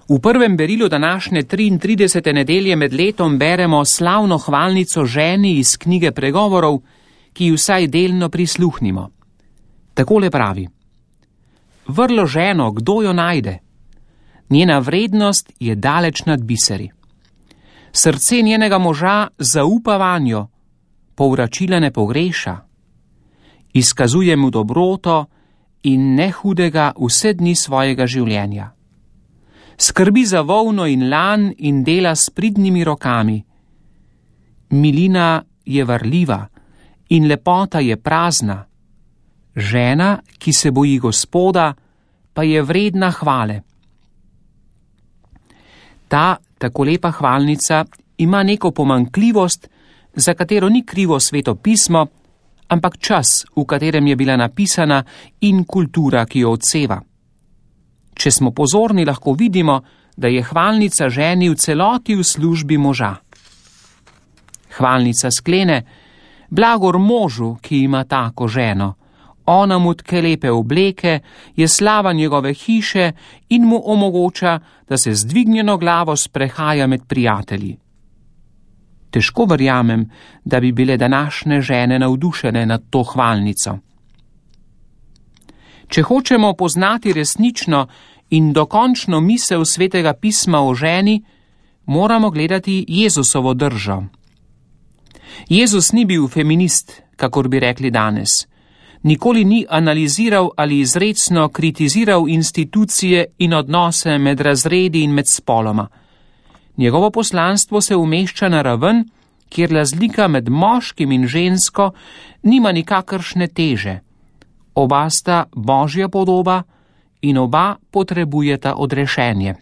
V prvem berilu današnje 33. nedelje med letom beremo slavno hvalnico ženi iz knjige Pregovorov, ki ji vsaj delno prisluhnimo. Takole pravi: Vrlo ženo, kdo jo najde? Njena vrednost je daleč nad biseri. Srce njenega moža zaupa vanjo, povračila ne pogreša. Izkazuje mu dobroto in ne hudega vse dni svojega življenja. Skrbi za volno in lan in dela s pridnimi rokami. Milina je varljiva in lepota je prazna. Žena, ki se boji Gospoda, pa je vredna hvale. Ta tako lepa hvalnica ima neko pomanjkljivost, za katero ni krivo Sveto pismo, ampak čas, v katerem je bila napisana, in kultura, ki jo odseva. Če smo pozorni, lahko vidimo, da je hvalnica ženi v celoti v službi moža. Hvalnica sklene: Blagor možu, ki ima tako ženo. Ona mu tke lepe obleke, je slava njegove hiše in mu omogoča, da se z dvignjeno glavo sprehaja med prijatelji. Težko verjamem, da bi bile današnje žene navdušene nad to hvalnico. Če hočemo poznati resnično in dokončno misel Svetega pisma o ženi, moramo gledati Jezusovo držo. Jezus ni bil feminist, kakor bi rekli danes. Nikoli ni analiziral ali izrecno kritiziral institucije in odnose med razredi in med spoloma. Njegovo poslanstvo se umešča na raven, kjer razlika med moškim in žensko nima nikakršne teže. Oba sta Božja podoba in oba potrebujeta odrešenje.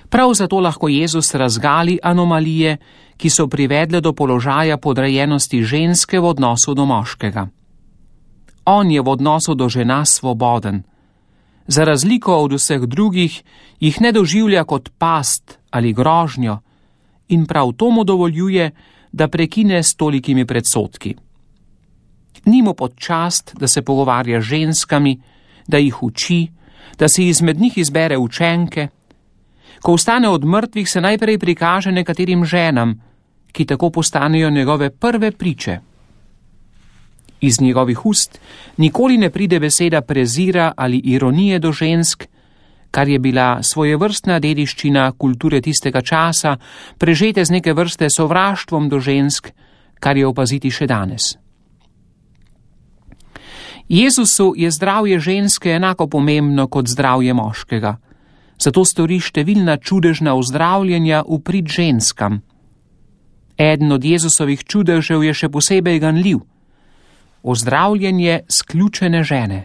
Prav zato lahko Jezus razgali anomalije, ki so privedle do položaja podrejenosti ženske v odnosu do moškega. On je v odnosu do žena svoboden. Za razliko od vseh drugih jih ne doživlja kot past ali grožnjo in prav to mu dovoljuje, da prekine s tolikimi predsodki. Ni mu pod čast, da se pogovarja z ženskami, da jih uči, da si izmed njih izbere učenke. Ko vstane od mrtvih, se najprej prikaže nekaterim ženam, ki tako postanejo njegove prve priče. Iz njegovih ust nikoli ne pride beseda prezira ali ironije do žensk, kar je bila svojevrstna dediščina kulture tistega časa, prežete z neke vrste sovraštvom do žensk, kar je opaziti še danes. Jezusu je zdravje ženske enako pomembno kot zdravje moškega. Zato stori številna čudežna ozdravljenja v prid ženskam. Eden od Jezusovih čudežev je še posebej ganljiv. Ozdravljenje sključene žene.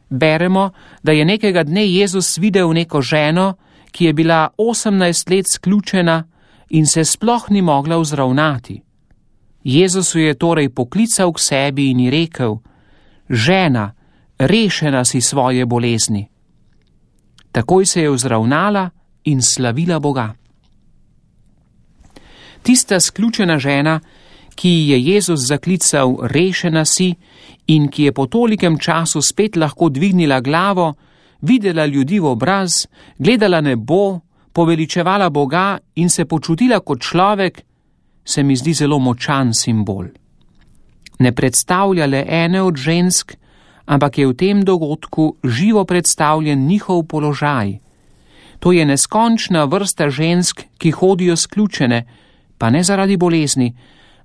Beremo, da je nekega dne Jezus videl neko ženo, ki je bila 18 let sključena in se sploh ni mogla vzravnati. Jezus jo je torej poklical k sebi in ji rekel: Žena, rešena si svoje bolezni. Takoj se je vzravnala in slavila Boga. Tista sključena žena, ki je Jezus zaklical rešena si in ki je po tolikem času spet lahko dvignila glavo, videla ljudi v obraz, gledala nebo, poveličevala Boga in se počutila kot človek, se mi zdi zelo močan simbol. Ne predstavlja le ene od žensk, ampak je v tem dogodku živo predstavljen njihov položaj. To je neskončna vrsta žensk, ki hodijo sključene, pa ne zaradi bolezni,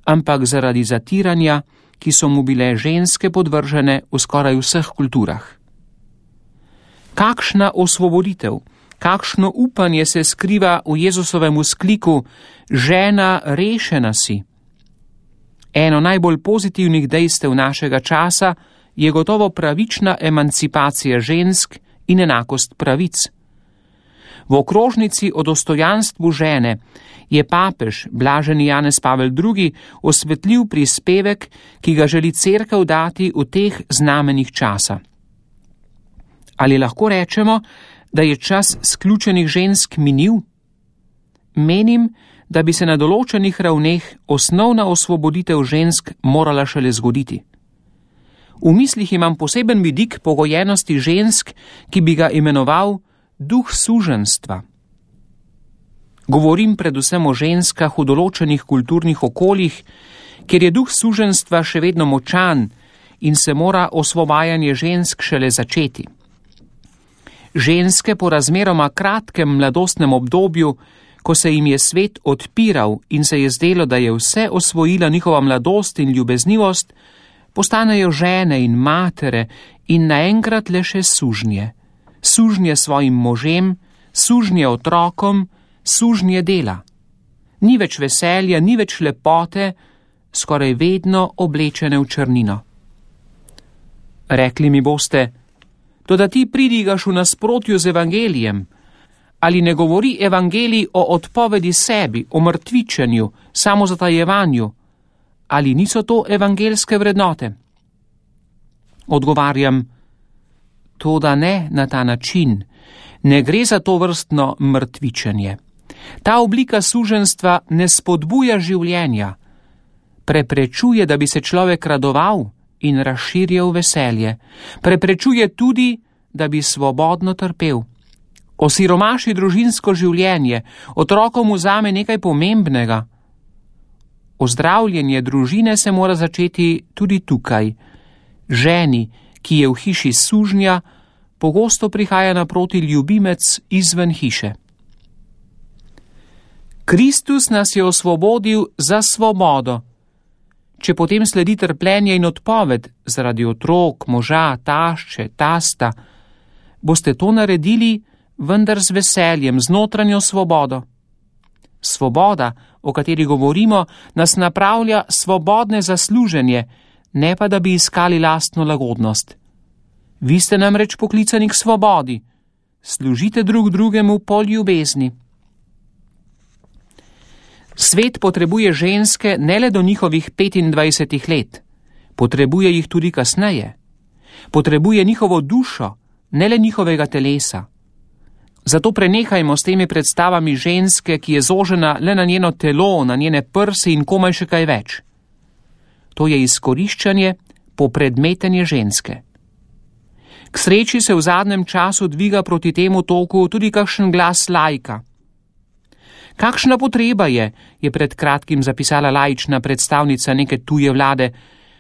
ampak zaradi zatiranja, ki so mu bile ženske podvržene v skoraj vseh kulturah. Kakšna osvoboditev, kakšno upanje se skriva v Jezusovem vzkliku: Žena, rešena si. Eno najbolj pozitivnih dejstev našega časa je gotovo pravična emancipacija žensk in enakost pravic. V okrožnici o dostojanstvu žene je papež blaženi Janez Pavel II. Osvetlil prispevek, ki ga želi cerkev dati v teh znamenjih časa. Ali lahko rečemo, da je čas sključenih žensk minil? Menim, da bi se na določenih ravneh osnovna osvoboditev žensk morala šele zgoditi. V mislih imam poseben vidik pogojenosti žensk, ki bi ga imenoval duh suženjstva. Govorim predvsem o ženskah v določenih kulturnih okoljih, kjer je duh suženjstva še vedno močan in se mora osvobajanje žensk šele začeti. Ženske po razmeroma kratkem mladostnem obdobju, ko se jim je svet odpiral in se je zdelo, da je vse osvojila njihova mladost in ljubeznivost, postanejo žene in matere in naenkrat le še sužnje. Sužnje svojim možem, sužnje otrokom, sužnje dela. Ni več veselja, ni več lepote, skoraj vedno oblečene v črnino. Rekli mi boste, toda ti pridigaš v nasprotju z evangelijem. Ali ne govori evangelij o odpovedi sebi, o mrtvičenju, samozatajevanju? Ali niso to evangeljske vrednote? Odgovarjam, toda ne na ta način. Ne gre za to vrstno mrtvičenje. Ta oblika suženjstva ne spodbuja življenja. Preprečuje, da bi se človek radoval in razširjal veselje. Preprečuje tudi, da bi svobodno trpel. Osiromaši družinsko življenje, otrokom vzame nekaj pomembnega. Ozdravljenje družine se mora začeti tudi tukaj. Ženi, ki je v hiši sužnja, pogosto prihaja naproti ljubimec izven hiše. Kristus nas je osvobodil za svobodo. Če potem sledi trpljenje in odpoved zaradi otrok, moža, tašče, tasta, boste to naredili, vendar z veseljem, z notranjo svobodo. Svoboda, o kateri govorimo, nas napravlja svobodne za služenje, ne pa da bi iskali lastno lagodnost. Vi ste namreč poklicani k svobodi. Služite drug drugemu po ljubezni. Svet potrebuje ženske ne le do njihovih 25 let, potrebuje jih tudi kasneje. Potrebuje njihovo dušo, ne le njihovega telesa. Zato prenehajmo s temi predstavami ženske, ki je zožena le na njeno telo, na njene prsi in komaj še kaj več. To je izkoriščanje, popredmetenje ženske. K sreči se v zadnjem času dviga proti temu toku tudi kakšen glas laika. Kakšna potreba je pred kratkim zapisala laična predstavnica neke tuje vlade,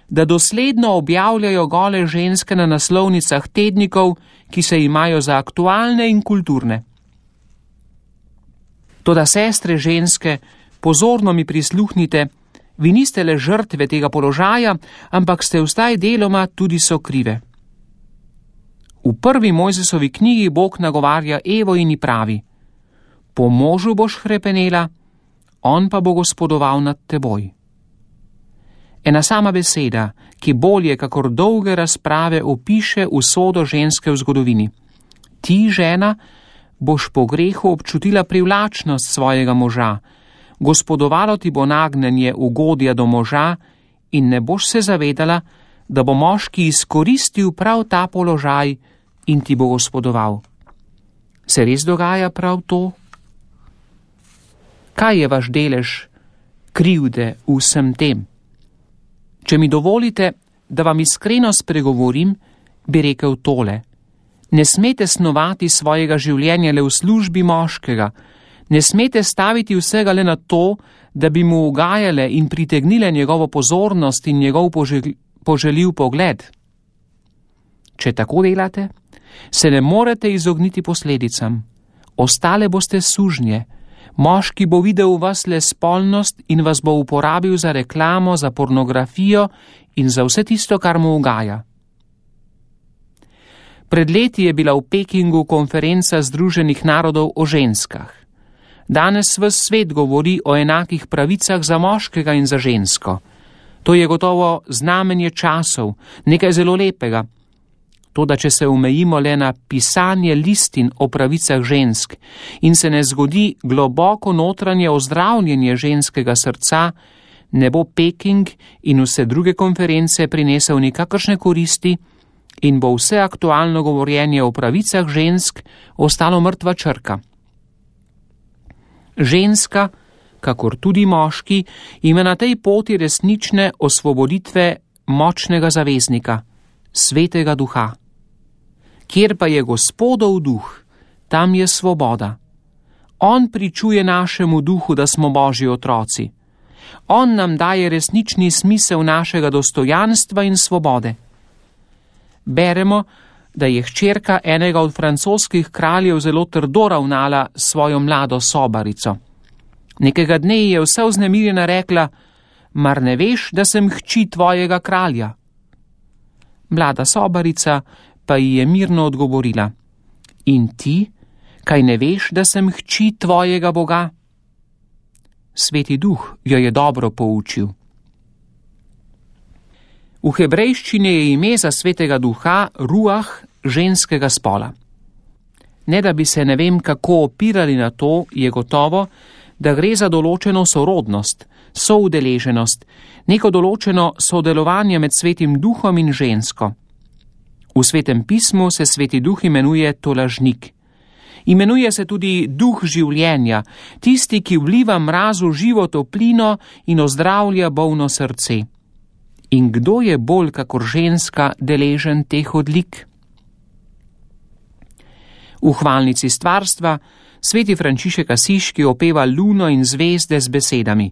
da dosledno objavljajo gole ženske na naslovnicah tednikov, ki se imajo za aktualne in kulturne. Toda sestre ženske, pozorno mi prisluhnite, vi niste le žrtve tega položaja, ampak ste vstaj deloma tudi sokrive. V prvi Mojzesovi knjigi Bog nagovarja Evo in ji pravi: po možu boš hrepenela, on pa bo gospodoval nad teboj. Ena sama beseda, ki bolje kakor dolge razprave opiše usodo ženske v zgodovini. Ti, žena, boš po grehu občutila privlačnost svojega moža, gospodovalo ti bo nagnjenje ugodja do moža in ne boš se zavedala, da bo moški izkoristil prav ta položaj in ti bo gospodoval. Se res dogaja prav to? Kaj je vaš delež krivde v vsem tem? Če mi dovolite, da vam iskreno spregovorim, bi rekel tole. Ne smete snovati svojega življenja le v službi moškega, ne smete staviti vsega le na to, da bi mu ugajale in pritegnile njegovo pozornost in njegov poželjiv pogled. Če tako delate, se ne morete izogniti posledicam. Ostale boste sužnje. Moški bo videl v vas le spolnost in vas bo uporabil za reklamo, za pornografijo in za vse tisto, kar mu ugaja. Pred leti je bila v Pekingu konferenca Združenih narodov o ženskah. Danes ves svet govori o enakih pravicah za moškega in za žensko. To je gotovo znamenje časov, nekaj zelo lepega. Toda če se omejimo le na pisanje listin o pravicah žensk in se ne zgodi globoko notranje ozdravljenje ženskega srca, ne bo Peking in vse druge konference prinesel nikakršne koristi in bo vse aktualno govorjenje o pravicah žensk ostalo mrtva črka. Ženska, kakor tudi moški, ima na tej poti resnične osvoboditve močnega zaveznika, Svetega Duha. Kjer pa je Gospodov duh, tam je svoboda. On pričuje našemu duhu, da smo Božji otroci. On nam daje resnični smisel našega dostojanstva in svobode. Beremo, da je hčerka enega od francoskih kraljev zelo trdo ravnala s svojo mlado sobarico. Nekega dne je vse vznemirjena rekla: mar ne veš, da sem hči tvojega kralja? Mlada sobarica pa ji je mirno odgovorila: in ti, kaj ne veš, da sem hči tvojega Boga? Sveti Duh jo je dobro poučil. V hebrejščini je ime za Svetega Duha Ruah ženskega spola. Ne da bi se ne vem kako opirali na to, je gotovo, da gre za določeno sorodnost, soudeleženost, neko določeno sodelovanje med Svetim Duhom in žensko. V Svetem pismu se Sveti Duh imenuje tolažnik. Imenuje se tudi duh življenja, tisti, ki vliva mrazu živo toplino in ozdravlja bolno srce. In kdo je bolj kakor ženska deležen teh odlik? V hvalnici stvarstva sveti Frančišek Asiški opeva luno in zvezde z besedami: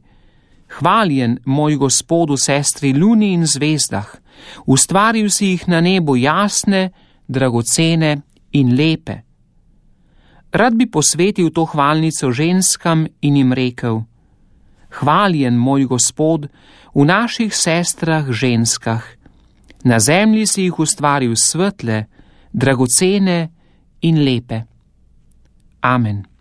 hvaljen moj Gospod v sestri luni in zvezdah, ustvaril si jih na nebu jasne, dragocene in lepe. Rad bi posvetil to hvalnico ženskam in jim rekel: hvaljen moj Gospod v naših sestrah ženskah, na zemlji si jih ustvaril svetle, dragocene in lepe. Amen.